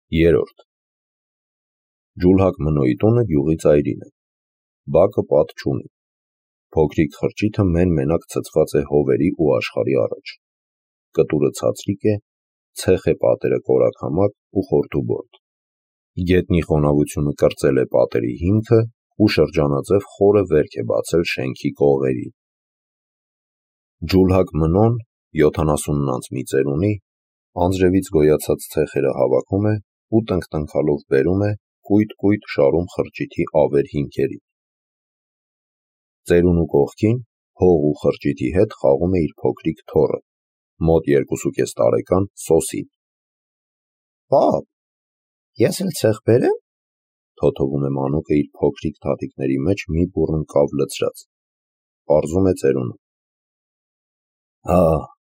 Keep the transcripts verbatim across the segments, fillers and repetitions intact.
Երորդ Ջուլհակ Մնոյի տունը գյուղի ծայրին է, բակը պատ չունի, փոքրիկ խրճիթը մեն-մենակ ցցված է հովերի ու աշխարհի առաջ, կտուրը ցածրիկ է, ցեխ է պատերը կորակամակ ու խորթուբորդ, գետնի խոնավությունը կրծել է պատերի հիմքը ու շրջանաձև խորը վերք է բացել շենքի կողերին։ Ջուլհակ Մնոն յոթանասունն անց մի ծերունի, անձրևից գոյացած ցեխերը հավաքում է ու տնկտնքալով բերում է կույտ-կույտ շարում խրճիթի ավեր հիմքերին։ Ծերունու կողքին հող ու խրճիթի հետ խաղում է իր փոքրիկ թոռը, մոտ երկուսուկես տարեկան Սոսին։ Պապ, ես էլ ցեխ բերեմ, թոթովում է մանուկը իր փոքրիկ թաթիկների մեջ մի բուռն կավ լցրած, պարզում է ծերունուն։ Հա,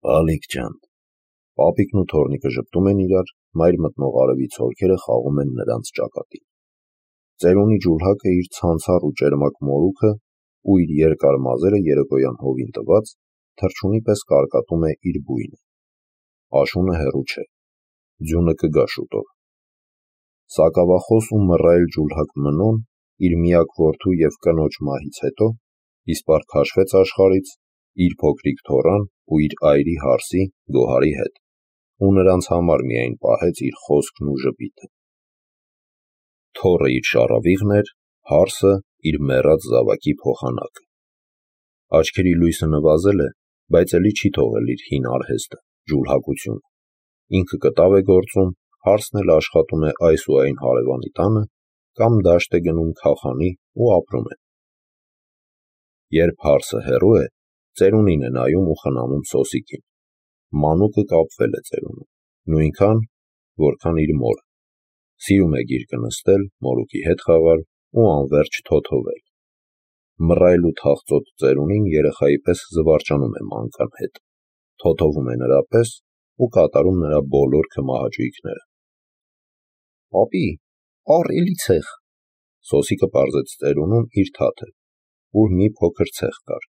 բալիկ ջան, պապիկն ու թոռնիկը ժպտում են իրար, մայր մտնող արևի ցորքերը խաղում են նրանց ճակատին։ Ծերունի ջուլհակը իր ցանցառ ու ճերմակ մորուքը ու իր երկար մազերը երեկոյան հովին տված, թռչունի պես կարկատում է իր բույնը։ Աշունը հեռու չէ, ձյունը կգա շուտով։ Սակավախոս ու մռայլ ջուլհակ Մնոն իր միակ որդու և կնոջ մահից հետո իսպառ քաշվեց աշխարհից, իր փոքրիկ թոռան ու իր այրի հարսի Գոհարի հետ, ու նրանց համար միայն պահեց իր խոսքն ու ժպիտը։ Թոռը իր շառավիղն էր, հարսը իր մեռած զավակի փոխանակը։ Աչքերի լույսը նվազել է, բայց էլի չի թողել իր հին արհեստը, ջուլհակությունը։ Ինքը կտավ է գործում, հարսն էլ աշխատում է այս ու այն հարևանի տանը, կամ դաշտ է գնում քախանի ու ապրում է։ Երբ հարսը հեռու է, ծերունին է նայում ու խնամում Սոսիկին։ Մանուկը կապվել է ծերունուն, նույնքան, որքան իր մորը։ Սիրում է գիրկը նստել, մորուկի հետ խաղալ ու անվերջ թոթովել։ Մռայլ ու թախծոտ ծերունին երեխայի պես զվարճանում է մանկան հետ, թոթովում է նրա պես ու կատարում նրա բոլոր քմահաճույքները։ Պապի, առ էլի ցեխ, Սոսիկը պարզեց ծերունուն իր թաթը, ուր մի փոքր ցեխ կար։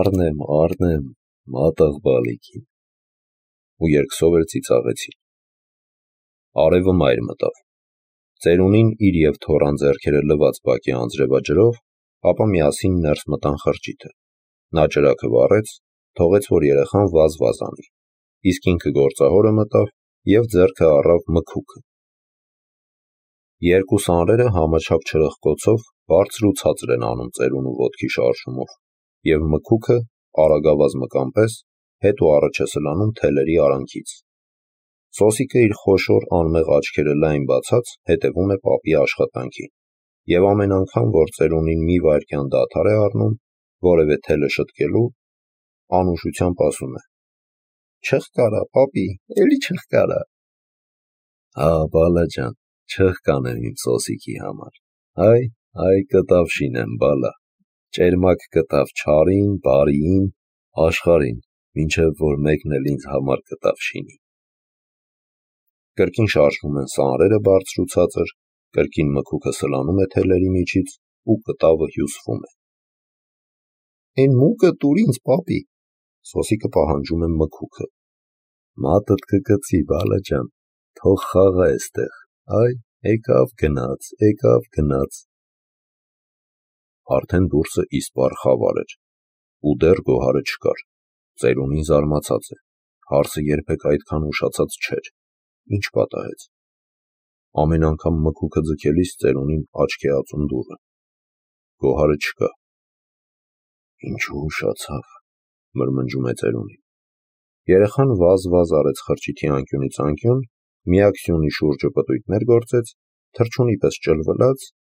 Առնեմ, առնեմ, մատաղ բալիկին։ Ու երկսով էլ ծիծաղեցին։ Արևը մայր մտավ։ Ծերունին իր և թոռան ձեռքերը լված բակի անձրևաջրով, ապա միասին ներս մտան խրճիթը։ Նա ճրագը վառեց, թողեց, որ երեխան վազ-վազ անի, իսկ ինքը գործահորը մտավ և ձեռքը առավ մքուկը։ Երկու սանրերը համաչափ չրըխկոցով բարձր ու ցածր են անում ծերունու ոտքի շարժումով, և մքուկը արագավազ մկան պես հետ ու առաջ է սլանում թելերի արանքից։ Սոսիկը իր խոշոր անմեղ աչքերը լայն բացած հետևում է պապի աշխատանքին, և ամեն անգամ, որ ծերունին մի վայրկյան դադար է առնում, որևէ թելը շտկելու, անուշությամբ ասում է. Չըխկարա, պապի, էլի չըխկարա։ Հա, բալա ջան, չըխկանեմ իմ Սոսիկի համար, հայ, հայ կտավ շինեմ, բալա, ճերմակ կտավ չարին, բարիին, աշխարհին, մինչև որ մեկն էլ ինձ համար կտավ շինի։ Կրկին շարժվում են սանրերը բարձր ու ցածր, կրկին մքուկը սլանում է թելերի միջից ու կտավը հյուսվում է։ Էն մուկը տուր ինձ, պապի, Սոսիկը պահանջում է մքուկը։ Մատդ կկծի, բալա ջան, թող խաղա էստեղ, այ, եկավ գնաց, եկավ գնաց։ Արդեն դուրսը իսպառ խավար էր, ու դեռ Գոհարը չկար։ Ծերունին զարմացած է, հարսը երբեք այդքան ուշացած չէր, ինչ պատահեց։ Ամեն անգամ մքուկը ձգելիս ծերունին աչք է ածում դուռը։ Գոհարը չկա։ Ինչու ուշացավ, մրմնջում է ծերունին։ Երեխան վազ-վազ արեց խրճիթի անկյունից անկյուն, միակ շուրջը պտույտներ գործեց, թռչունի պես ճլվլաց,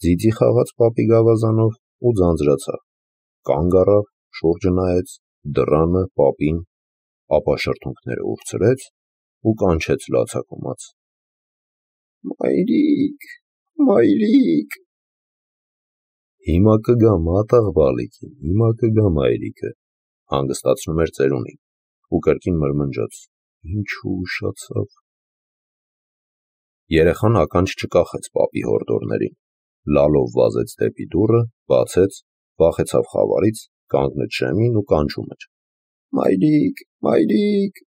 ձիձի խաղաց պապի գավազանով ու ձանձրացավ, կանգ առավ, շուրջը նայեց, դռանը, պապին, ապա շրթունքները ուրցրեց ու կանչեց լացակումած. Մայրիկ, մայրիկ։ Հիմա կգա մատաղ բալիկին, հիմա կգա մայրիկը, հանգստացնում էր ծերունին, ու կրկին մրմնջաց. Ինչու ուշացավ։ Երեխան ականջ չկախեց պապի հորդորներին, լալով վազեց դեպի դուռը, բացեց, վախեցավ խավարից, կանգնեց շեմին ու կանչում էր. Մայրիկ, մայրիկ։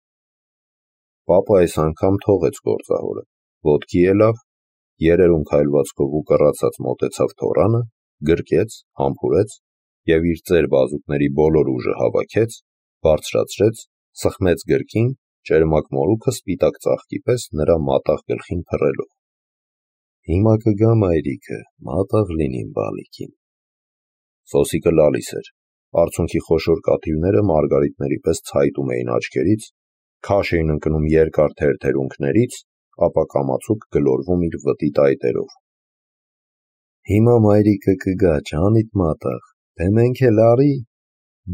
Պապը այս անգամ թողեց գործահորը, ոտքի ելավ, երերում քայլվածքով ու կռացած մոտեցավ թոռանը, գրկեց, համբուրեց և իր ծեր բազուկների բոլոր ուժը հավաքեց, բարձրացրեց, սխմեց գրկին, ճերմակ մորուքը սպիտակ ծաղկի պես նրա մատաղ գլխին փռելով։ Հիմա կգա մայրիկը, մատաղ լինիմ բալիկին։ Սոսիկը լալիս էր, արցունքի խոշոր կաթիլները մարգարիտների պես ցայտում էին աչքերից, քաշ էին ընկնում երկար թերթերունքներից, ապա կամացուկ գլորվում իր վտի տայտերով։ Հիմա մայրիկը կգա, ջանիդ մատաղ, թե մենք էլ արի,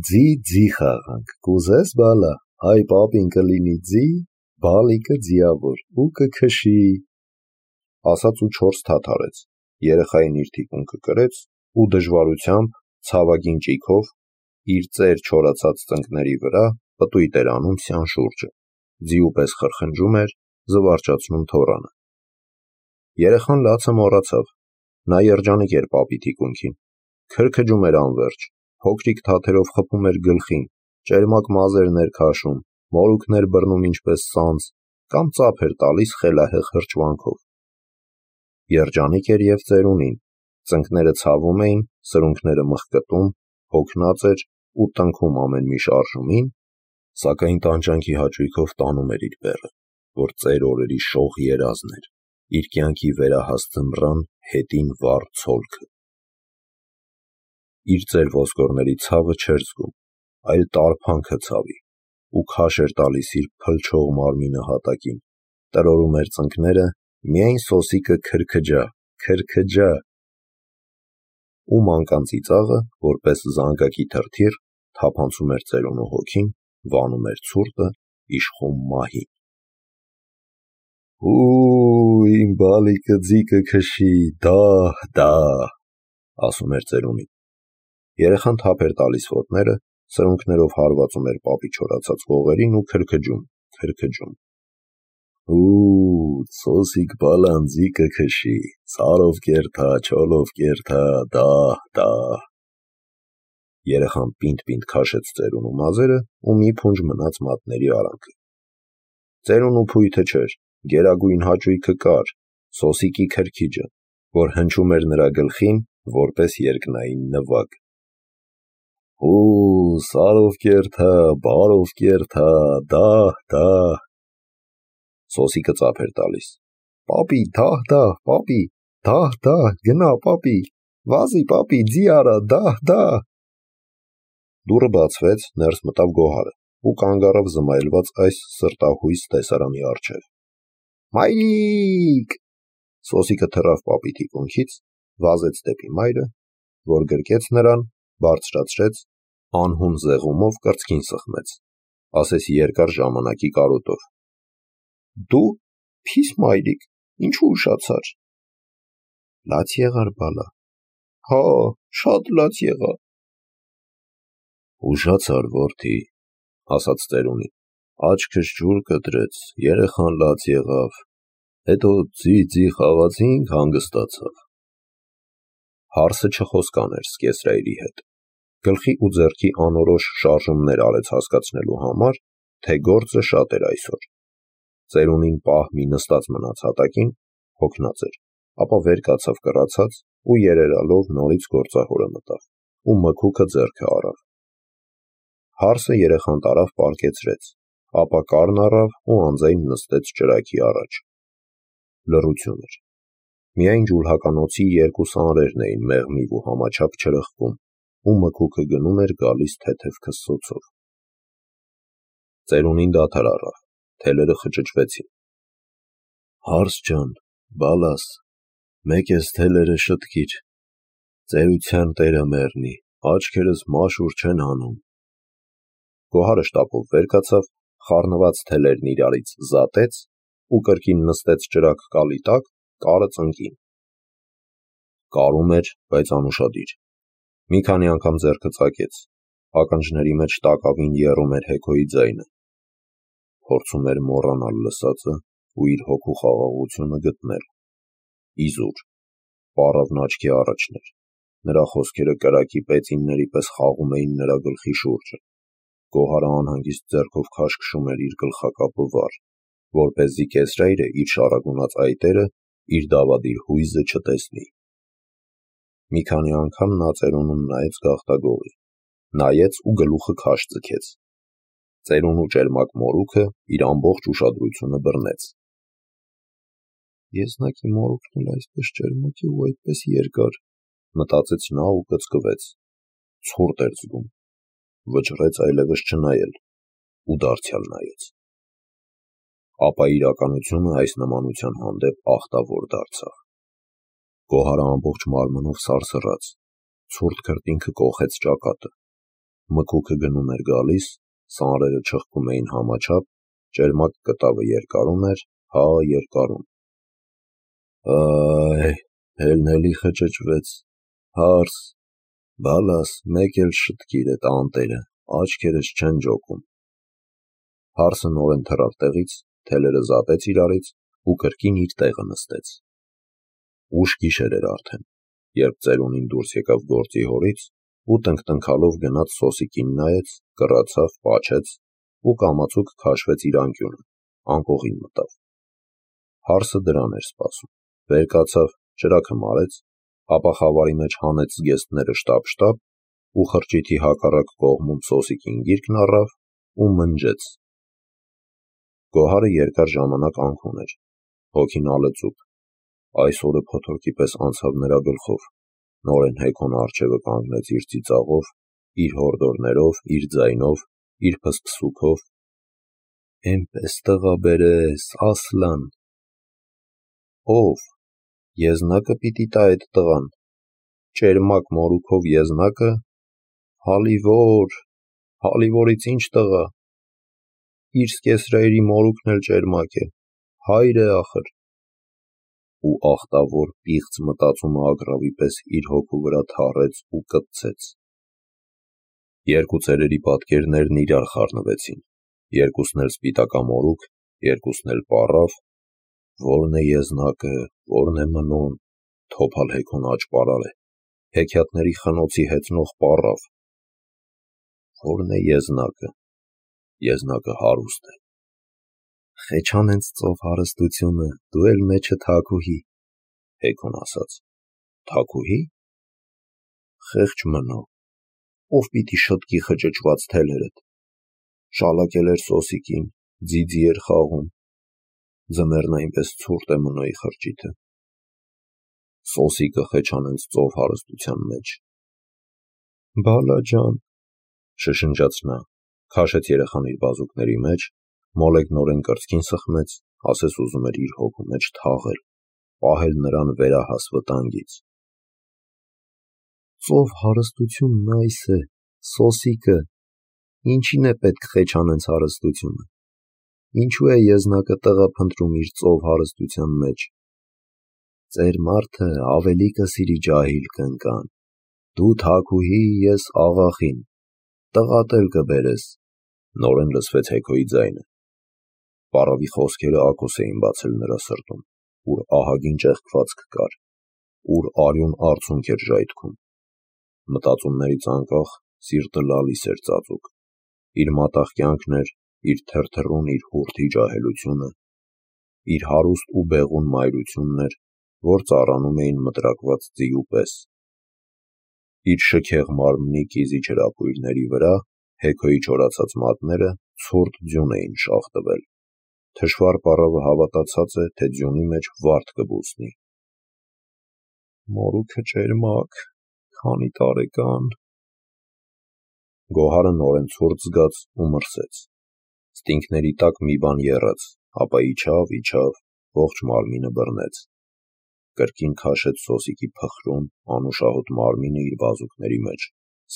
ձի ձի խաղանք, կուզես բալա, հայ պապին կլինի ձի, բալիկը ձիավոր ու կքշի։ Ասաց ու չորս թաթ արեց, երեխային իր թիկունքը կրեց ու դժվարությամբ, ցավագին ճիգով, իր ծեր չորացած ծնկների վրա պտույտ էր անում սյան շուրջը, ձիու պես խրխնջում էր, զվարճացնում թոռանը։ Երեխան լացը մոռացավ, նա երջանիկ էր պապի թիկունքին, քրքջում էր անվերջ, փոքրիկ թաթերով խփում էր գլխին, ճերմակ մազերն էր քաշում, մորուքն էր բռնում ինչպես սանձ, կամ ծափ էր տալիս խելահեղ հրճվանքով։ Երջանիկ էր և ծերունին, ծնկները ցավում էին, սրունքները մխկտում, հոգնած էր ու տնքում ամեն մի շարժումին, սակայն տանջանքի հաճույքով տանում էր իր բեռը, որ ծեր օրերի շող երազն էր, իր կյանքի վերահաս ձմռան հետին վառ ցոլքը։ Իր ծեր ոսկորների ցավը չէր զգում, այլ տարփանքը ցավի, ու քաշ էր տալիս իր փլչող մարմինը հատակին, տրորում էր ծնկները, միայն սոսիկը քրքջա, քրքջա։ Ու մանկան ծիծաղը, որպես զանգակի թրթիռ, թափանցում էր ծերունու հոգին, վանում էր ցուրտը, իշխում մահին։ Ու իմ բալիկը ձի կքշի, դահ, դահ, ասում էր ծերունին։ Երեխան թափ էր տալիս ոտները, սրունքներով հարվածում էր պապի չորացած կողերին ու քրքջում, քրքջում։ Ու սոսիկ բալան ձի կքշի, ծարով կերթա, չոլով կերթա, դահ, դահ։ Երեխան պինդ-պինդ քաշեց ծերունու մազերը ու մի փունջ մնաց մատների արանքը։ Ծերունու փույթը չէր, գերագույն հաճույքը կար, սոսիկի քրքիջը, որ հնչում էր նրա գլխին, որպես երկնային նվագ։ Ու սարով կերթա, բարով կերթա, դահ, դահ։ Սոսիկը ծափ էր տալիս։ Պապի, դահ, դահ, պապի, դահ, դահ, գնա, պապի, վազի, պապի, ձի արա, դահ, դահ։ Դուռը բացվեց, ներս մտավ Գոհարը ու կանգ առավ զմայլված այս սրտահույս տեսարանի առջև։ Մայրիկ։ Սոսիկը թռավ պապի թիկունքից, վազեց դեպի մայրը, որ գրկեց նրան, բարձրացրեց, անհուն զեղումով կրծքին սխմեց, ասես երկար ժամանակի կարոտով։ Դու, փիս մայրիկ, ինչու ուշացար։ Լաց եղար բալա։ Հա, շատ լաց եղա։ Ուշացար որդի, ասաց ծերունին, աչքս ջուր կտրեց, երեխան լաց եղավ, հետո ձի-ձի խաղացինք, հանգստացավ։ Հարսը չխոսկան էր սկեսրայրի հետ, գլխի ու ձեռքի անորոշ շարժումներ արեց հասկացնելու համար, թե գործը շատ էր այսօր։ Ծերունին պահ մի նստած մնաց հատակին, հոգնած էր, ապա վեր կացավ կռացած ու երերալով նորից գործահորը մտավ ու մքուքը ձեռքը առավ։ Հարսը երեխան տարավ պառկեցրեց, ապա կառն առավ ու անձայն նստեց ճրագի առաջ։ Լռություն էր։ Միայն ջուլհականոցի երկու սանրերն էին մեղմիվ ու համաչափ չրխկում, ու մքուքը գնում էր գալիս թեթև քսսոցով։ Ծերունին դադար առավ, թելերը խճճվեցին։ Հարս ջան, բալաս, մեկ ես թելերը շտկիր, ծերության տերը մեռնի, աչքերս մաշուր չեն հանում։ Գոհարը շտապով վեր կացավ, խառնված թելերն իրարից զատեց ու կրկին նստեց ճրագ կալի տակ, կարը ծնկին։ Կարում էր, բայց անուշադիր։ Մի քանի անգամ ձեռքը ծակեց, ականջների մեջ տակավին եռում էր հեքոյի ձայնը։ Փորձում էր մոռանալ լսածը ու իր հոգու խաղաղությունը գտնել։ Իզուր, պառավն աչքի առաջն էր, նրա խոսքերը կրակի պեծինների պես խաղում էին նրա գլխի շուրջը։ Գոհարը անհանգիստ ձեռքով քաշքշում էր իր գլխակապը վար, որպեսզի կեսրայրը իր շառագունած այտերը իր դավադիր հույզը չտեսնի։ Մի քանի անգամ նա ծերունուն նայեց գաղտագողի, նայեց ու գլուխը քաշ ձգեց։ Ծերունու ճերմակ մորուքը իր ամբողջ ուշադրությունը բռնեց։ Եզնակի մորուքն էլ այսպես ճերմակ է ու այդպես երկար, մտածեց նա ու կծկվեց։ Ցուրտ էր զգում, վճռեց այլևս չնայել ու դարձյալ նայեց։ Ապա իրականությունը այս նմանության հանդեպ ախտավոր դարձավ։ Գոհարը ամբողջ մարմնով սարսռաց, ցուրտ քրտինքը կոխեց ճակատը, մկուկը գնում էր գալիս, սանրերը չխկում էին համաչափ, ճերմակ կտավը երկարում էր, հա երկարում։ Այ, հելնելի խճճվեց, հարս, բալաս, մեկ էլ շտկիր է տանտերը, աչքերս չեն ջոկում։ Հարսը նորեն թռավ տեղից, թելերը զատեց իրարից ու կրկին իր տեղը նստեց։ Ուշ գիշեր էր արդեն, երբ ծերունին դուրս եկավ գործի հորից ու տնկտնքալով գնաց սոսիկին նայեց, կռացավ, պաչեց ու կամացուկ քաշվեց իր անկյունը, անկողին մտավ։ Հարսը դրան էր սպասում, վեր կացավ, ճրագը մարեց, ապա խավարի մեջ հանեց զգեստները շտապ-շտապ ու խրճիթի հակառակ կողմում սոսիկին գիրկն առավ ու մնջեց։ Գոհարը երկար ժամանակ անքուն էր, հոգին ալեծուկ, այս օրը փոթորկի պես անցավ նրա գլխով, նորեն Հեքոնը առջևը կանգնեց իր ծիծաղով, իր հորդորներով, իր ձայնով, իր փսփսուքով։ Էնպես տղա բերես, ասլան։ Ով, եզնակը պիտի տա այդ տղան, ճերմակ մորուքով եզնակը, հալիվոր, հալիվորից ինչ տղա, իր սկեսրայրի մորուքն էլ ճերմակ է, հայր է ախր։ Ու ախտավոր պիղծ մտածումը ագռավի պես իր հոգու վրա թառեց ու կպցեց։ Երկու ծերերի պատկերներն իրար խառնվեցին, երկուսն էլ սպիտակամորուք, երկուսն էլ պառավ, որն է եզնակը, որն է մնոն, թոփալ Հեքոն աճպարար է, հեքիաթների խնոցի հեծնող պառավ։ Որն է եզնակը, եզնակը հարուստ է։ Խեչան հենց ծով հարստությունը, դու էլ մեջը թաքուհի, Հեքոն ասաց։ Թաքուհի։ Խեղճ մնո, ով պիտի շտկի խճճված թելերդ, շալակել էր սոսիկին, ձիձի էր խաղում, ձմեռն այնպես ցուրտ է մնոյի խրճիթը։ Սոսիկը խեչան հենց ծով հարստության մեջ։ Բալա ջան, շշնջաց նա, քաշեց երեխան իր բազուկների մեջ, մոլեգնորեն կրծքին սխմեց, ասես ուզում էր իր հոգու մեջ թաղել, պահել նրան վերահաս վտանգից։ Ծով հարստությունն այս է, սոսիկը, ինչին է պետք խեչան հենց հարստությունը, ինչու է եզնակը տղա փնտրում իր ծով հարստության մեջ։ Ծեր մարդը ավելի կսիրի ջահիլ կնկան, դու թաքուհի, ես աղախին, տղատ էլ կբերես, նորեն լսվեց Հեքոյի ձայնը։ Պառավի խոսքերը ակոս էին բացել նրա սրտում, ուր ահագին ճեղքվածք կար, ուր արյուն արցունք էր ժայթքում։ Մտածումներից անկախ սիրտը լալիս էր ծածուկ, իր մատաղ կյանքն էր, իր թրթռուն, իր հուրթի ջահելությունը, իր հարուստ ու բեղուն մայրությունն էր, որ ծառանում էին մտրակված ձիու պես։ Իր շքեղ մարմնի կիզիչ հրապույրների վրա Հեքոյի չորացած մատները ցուրտ ձյուն էին շաղ տվել։ Թշվառ պառավը հավատացած է, թե ձյունի մեջ վարդ կբուսնի։ Մորուքը ճերմակ, քանի տարեկան։ Գոհարը նորեն ցուրտ զգաց ու մրսեց։ Ստինգների տակ մի բան եռաց, ապա իջավ, իջավ, ողջ մարմինը բռնեց։ Կրկին քաշեց սոսիկի փխրուն, անուշահոտ մարմինը իր բազուկների մեջ,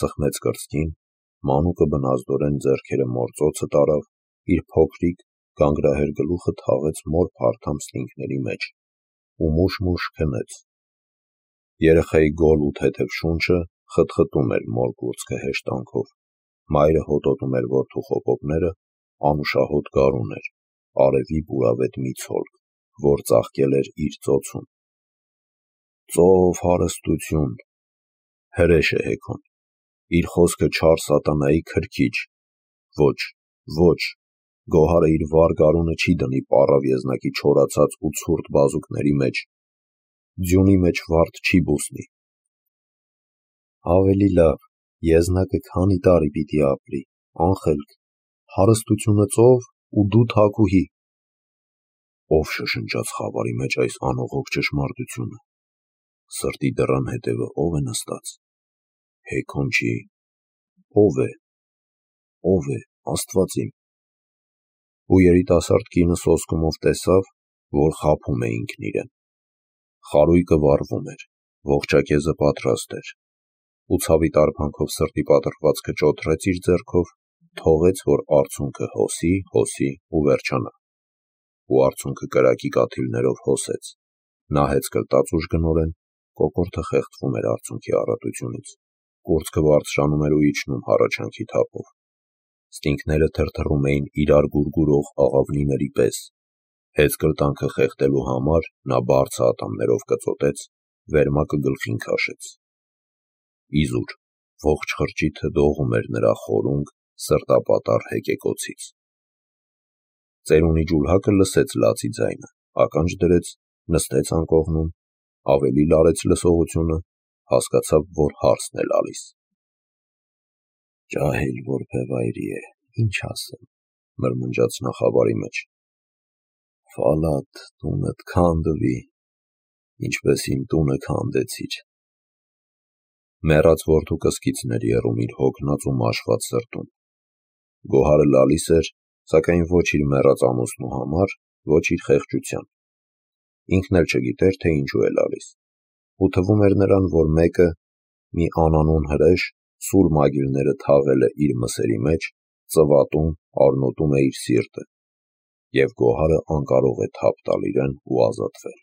սխմեց կրծքին, մանուկը բնազդորեն ձեռքերը մործոցը տարավ, իր փոքրիկ, գանգրահեր գլուխը թաղեց մոր փարթամ ստինգների մեջ ու մուշ-մուշ քնեց։ Երեխայի գոլ ու թեթև շունչը խտխտում էր մոր կուրծքը հեշտանքով, մայրը հոտոտում էր որդու խոպոպները, անուշահոտ գարուն էր, արևի բուրավետ մի ցոլք, որ ծաղկել էր իր ծոցում։ Ծով հարստություն, հրեշ է Հեքոն, իր խոսքը չար սատանայի քրքիջ, ոչ, ոչ, Գոհարը իր վառ գարունը չի դնի պառավ եզնակի չորացած ու ցուրտ բազուկների մեջ, ձյունի մեջ վարդ չի բուսնի։ Ավելի լավ, եզնակը քանի տարի պիտի ապրի, անխելք, հարստությունը ծով ու դու թագուհի։ Ով շշնջաց խավարի մեջ այս անողոք ճշմարտությունը, սրտի դռան հետևը ով է նստած, հեքոն չի, ով է, ով է, Աստված իմ։ Ու երիտասարդ կինը սոսկումով տեսավ, որ խաբում է ինքն իրեն։ Խարույկը վառվում էր, ողջակեզը պատրաստ էր, ու ցավի տարփանքով սրտի պատրվածքը ճոթրեց իր ձեռքով, թողեց, որ արցունքը հոսի, հոսի ու վերջանա։ Ու արցունքը կրակի կաթիլներով հոսեց, նահեց կլտած ուժգնորեն, կոկորդը խեղդվում էր արցունքի առատությունից, կուրծքը բարձրանում էր ու իջնում հառաչանքի թափով։ Ստինգները թրթռում էին իրար գուրգուրող աղավնիների պես։ Հեծկլտանքը խեղդելու համար նա բարձ ատամներով կծոտեց, վերմակը գլխին քաշեց։ Իզուր, ողջ խրճիթը դողում էր նրա խորունգ, սրտապատառ հեկեկոցից։ Ծերունի ջուլհակը լսեց լացի ձայնը, ականջ դրեց, նստեց անկողնում, ավելի լարեց լսողությունը, հասկացավ, որ հարսն է լալիս։ Ջահել որբևայրի է, ինչ ասեմ, մրմնջաց նա խավարի մեջ։ Ֆալատ, տունդ քանդվի, ինչպես իմ տունը քանդեցիր։ Մեռած որդու կսկիցն էր եռում իր հոգնած ու մաշված սրտում։ Գոհարը լալիս էր, սակայն ոչ իր մեռած ամուսնու համար, ոչ իր խեղճության։ Ինքն էլ չգիտեր, թե ինչու է լալիս։ Ու թվում էր նրան, որ մեկը, մի անանուն հրեշ, սուր մագիլները թաղել է իր մսերի մեջ, ծվատում, առնոտում է իր սիրտը, և գոհարը անկարող է թափ տալ իրեն ու ազատվել։